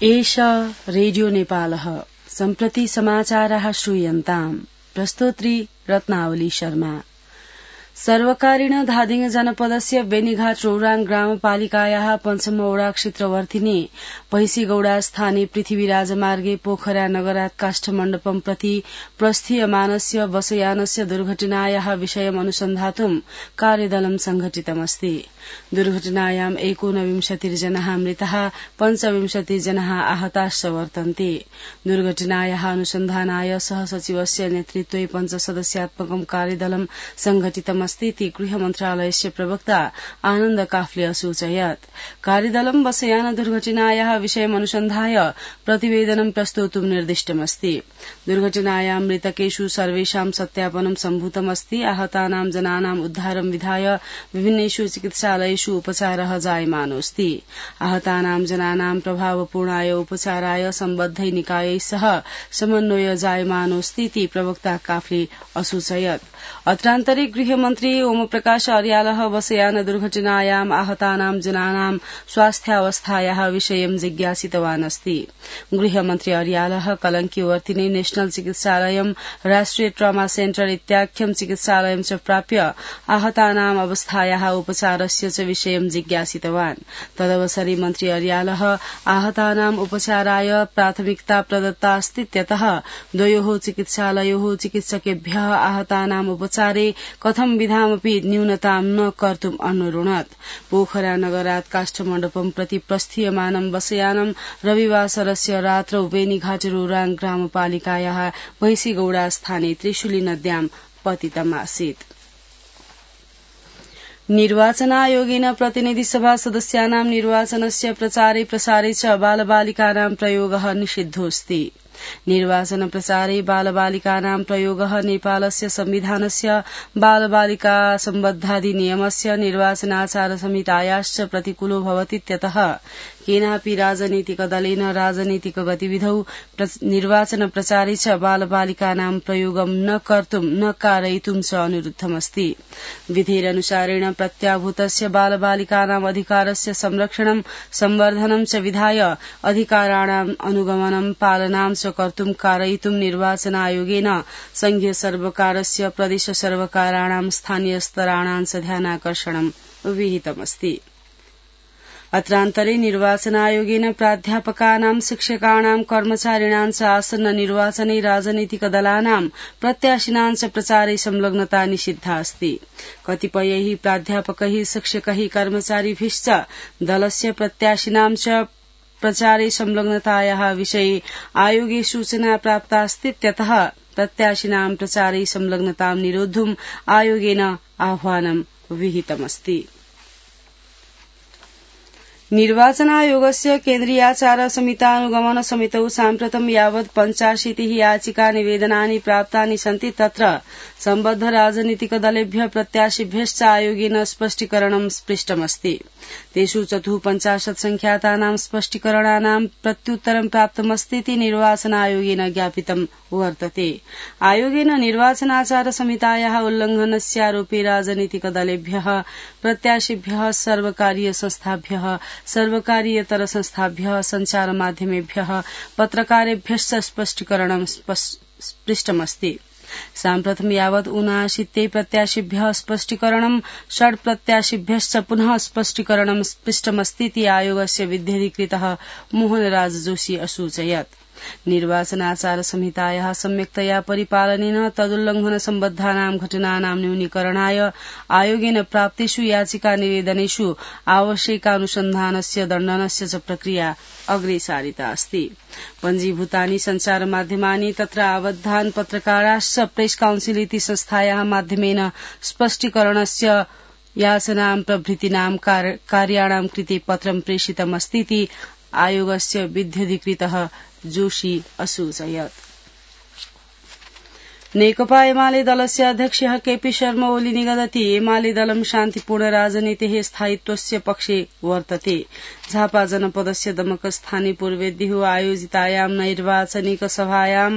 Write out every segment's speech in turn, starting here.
एष रेडियो नेपालः सम्प्रति समाचाराः श्रूयन्ताम्। प्रस्तोत्री रत्नावली शर्मा। सर्वकारेण धादिङ जनपदस्य बेनीघाट रौराङ ग्रामपालिकायाः पञ्चम वडा क्षेत्रवर्तिनी पहिसीगौडा स्थाने पृथ्वीराजमार्गे पोखरा नगरात् काष्ठमण्डपं प्रति प्रस्थीयमानस्य बसयानस्य दुर्घटनायाः विषयम् अनुसन्धातुं कार्यदलं संघटितमस्ति। दुर्घटनायाम् 29 जनाः मृताः 25 जनाः आहताश्च वर्तन्ते। दुर्घटनायाः अनुसन्धानाय सहसचिवस्य नेतृत्वे पञ्चसदस्यात्मकं कार्यदलं संघटितमस्ति इति गृहमन्त्रालयस्य प्रवक्ता आनन्द काफले असूचयत्। कार्यदलं बसयान दुर्घटनायाः विषयम् अनुसन्धाय प्रतिवेदनं प्रस्तोतुं निर्दिष्टमस्ति। दुर्घटनायां मृतकेषु सर्वेषां सत्यापनं सम्भूतमस्ति। आहतानां जनानां उद्धारं विधाय विभिन्नेषु चिकित्सालयेषु उपचारः जायमानोऽस्ति। आहतानां जनानां प्रभावपूर्णाय उपचाराय सम्बद्धै निकायै सह समन्वय जायमानोऽस्ति इति प्रवक्ता काफले असूचयत्। अत्रान्तरे गृहमन्त्री ओमप्रकाश अर्यालः बसयान दुर्घटनायाम् आहतानां जनानां स्वास्थ्यावस्थायाः विषयं जिज्ञासितवान् अस्ति। गृहमन्त्री अर्यालः कलंकी वर्तिने नेशनल चिकित्सालयं राष्ट्रिय ट्रमा सेन्टर इत्याख्यं चिकित्सालयं च प्राप्य आहतानां अवस्थायाः उपचारस्य च विषयं जिज्ञासितवान्। तदवसरे मन्त्री अर्यालः आहतानां उपचाराय प्राथमिकता प्रदत्ता अस्तीत्यतः द्वयोः चिकित्सालयोः चिकित्सकेभ्यः आहतानां उपचारे कथं विधामपि न्यूनतां न कर्तुम् अनुरुणत्। पोखरा नगरात् काष्ठमण्डपं प्रति प्रस्थीयमानं बसयानं रविवासरस्य रात्रौ बेनीघाट रौराङ ग्रामपालिकायाः महिसीगौडा स्थाने त्रिशुली नद्यां पतितमासीत्। निर्वाचनायोगेन प्रतिनिधिसभा सदस्यानां निर्वाचनस्य प्रचारे प्रसारे च बालबालिकानां प्रयोगः निषिद्धोऽस्ति। निर्वाचन प्रचारे बालबालिकानां प्रयोगः नेपालस्य संविधानस्य बालबालिका सम्बद्धाधिनियमस्य निर्वाचनाचार संहितायाश्च प्रतिकूलो भवतीत्यतः केनापि राजनीतिक दलेन राजनीतिक गतिविधौ निर्वाचन प्रचारे च बालबालिकानां प्रयोगं न कर्तुं न कारयितुं च अनुरुद्धमस्ति। विधेरनुसारेण प्रत्याभूतस्य बालबालिकानाम् अधिकारस्य संरक्षणं संवर्धनं च विधाय अधिकाराणाम् अनुगमनं पालनां च कर्तुं कारयितुं निर्वाचन आयोगेन संघीय सर्वकारस्य प्रदेश सर्वकाराणां स्थानीय स्तराणां च ध्यानाकर्षणं विहितमस्ति। अत्रान्तरे निर्वाचन आयोगेन प्राध्यापकानां शिक्षकाणां कर्मचारिणां च आसन्न निर्वाचने राजनीतिक दलानां प्रत्याशिनां च प्रचारे संलग्नता निषिद्धा अस्ति। कतिपयैः प्राध्यापकैः शिक्षकैः कर्मचारिभिश्च दलस्य प्रत्याशिनां च प्रचारे संलग्नतायाः विषये आयोगे सूचना प्राप्तास्तीत्यतः प्रत्याशिनां प्रचारे संलग्नतां निरोद्धुम् आयोगेन आह्वानं विहितमस्ति। निर्वाचन आयोगस्य केन्द्रीयाचार संहितानुगमन समितौ साम्प्रतं यावत् 85 याचिका निवेदनानि प्राप्तानि सन्ति। तत्र सम्बद्ध राजनीतिक दलेभ्यः प्रत्याशिभ्यश्च आयोगेन स्पष्टीकरणं पृष्टमस्ति। तेषु 54 संख्यातानां स्पष्टीकरणानां प्रत्युत्तरं प्राप्तमस्ति इति निर्वाचन आयोगेन ज्ञापितं वर्तते। आयोगेन निर्वाचनाचार संहितायाः उल्लंघनस्यारोपे राजनीतिक दलेभ्यः प्रत्याशिभ्यः सर्वकारीय संस्थाभ्यः सर्वकारीयतर संस्थाभ्यः संचार माध्यमेभ्यः पत्रकारेभ्यश्च स्पष्टीकरणं पृष्टमस्ति। साम्प्रतं यावत् 79 प्रत्याशिभ्यः स्पष्टीकरणं 6 प्रत्याशिभ्यश्च पुनः स्पष्टीकरणं पृष्टमस्ति इति आयोगस्य विध्यधिकृतः मोहनराज जोशी असूचयत्। निर्वाचनाचार संहितायाः सम्यक्तया परिपालनेन तदुल्लंघन सम्बद्धानां घटनानां न्यूनीकरणाय आयोगेन प्राप्तेषु याचिका निवेदनेषु आवश्यकानुसन्धानस्य दण्डनस्य च प्रक्रिया अग्रे सारिता अस्ति। पञ्जीभूतानि संचार माध्यमानि तत्र आबद्धान् पत्रकाराश्च प्रेस काउन्सिल इति संस्थायाः माध्यमेन स्पष्टीकरणस्य याचनां प्रभृतीनां कार्याणां कृते पत्रं प्रेषितमस्ति इति आयोगस्य विध्यधिकृतः जोशी असूचयत्। नेकपा एमाले दलस्य अध्यक्षः केपी शर्मा ओली निगदति एमाले दलं शान्तिपूर्ण राजनीतेः स्थायित्वस्य पक्षे वर्तते। झापा जनपदस्य दमकस्थाने पूर्वेद्युः आयोजितायां नैर्वाचनिक सभायां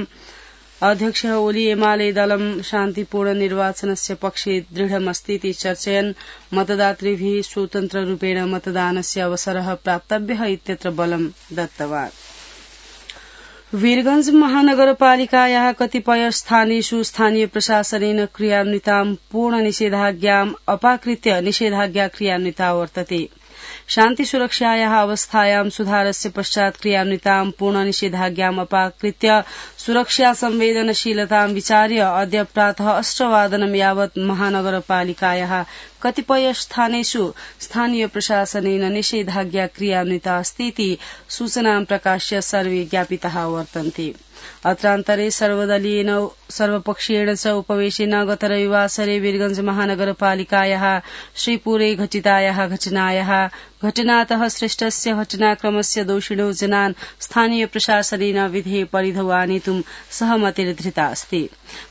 अध्यक्षः ओली एमाले दलं शान्तिपूर्ण निर्वाचनस्य पक्षे दृढमस्ति इति चर्चयन् मतदातृभिः स्वतन्त्ररूपेण मतदानस्य अवसरः प्राप्तव्यः इत्यत्र बलं दत्तवान्। वीरगंज महानगरपालिकायाः कतिपय स्थानेषु स्थानीय प्रशासनेन क्रियान्वितां पूर्णनिषेधाज्ञाम् अपाकृत्य निषेधाज्ञा क्रियान्विता वर्तते। शान्तिसुरक्षायाः अवस्थायां सुधारस्य पश्चात् क्रियान्वितां पूर्णनिषेधाज्ञाम् अपाकृत्य सुरक्षा संवेदनशीलतां विचार्य अद्य प्रातः 8:00 यावत् महानगरपालिकायाः कतिपय स्थानेषु स्थानीय प्रशासनेन निषेधाज्ञा क्रियान्विता अस्तीति सूचनां प्रकाश्य सर्वे ज्ञापिताः वर्तन्ते। अत्रान्तरे सर्वदलीयेन सर्वपक्षीयेण च उपवेशेन गत रविवासरे वीरगंज महानगरपालिकायाः श्रीपुरे घटितायाः घटनातः सृष्टस्य घटनाक्रमस्य दोषिणो जनान् स्थानीय प्रशासनेन विधेय परिधौ आनेतुं सहमतिर्धृता अस्ति।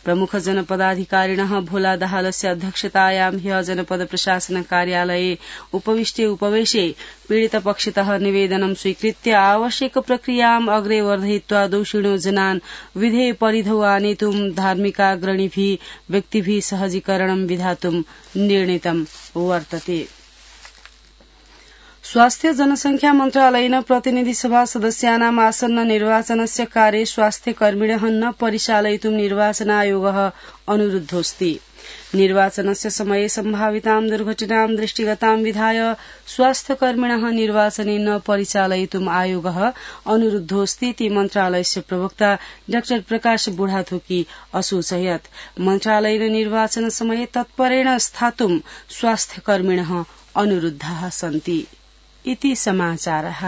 प्रमुख जनपदाधिकारिणः भोला दाहालस्य अध्यक्षतायां ह्यः जनपद प्रशासन कार्यालये उपवेशे पीडितपक्षतः निवेदनं स्वीकृत्य आवश्यक प्रक्रियाम् अग्रे वर्धयित्वा दोषिणो जनान् विधेय परिधौ आनेतुं धार्मिकाग्रणिभिः व्यक्तिभिः सहजीकरणं विधातुं निर्णीतं वर्तते। स्वास्थ्य जनसंख्या मन्त्रालयेन प्रतिनिधि सभा सदस्यानाम् आसन्न निर्वाचनस्य कार्ये स्वास्थ्यकर्मिणः न परिचालयितुं निर्वाचन आयोगः अनुरुद्धोऽस्ति। निर्वाचनस्य समये सम्भावितां दुर्घटनां दृष्टिगतां विधाय स्वास्थ्यकर्मिणः निर्वाचने न परिचालयितुम् आयोगः अनुरुद्धोऽस्ति इति मन्त्रालयस्य प्रवक्ता डा प्रकाश बुढाथोकी असूचयत्। मन्त्रालयेन निर्वाचन समये तत्परेण स्थातुं स्वास्थ्यकर्मिणः अनुरुद्धाः सन्ति। इति समाचारः।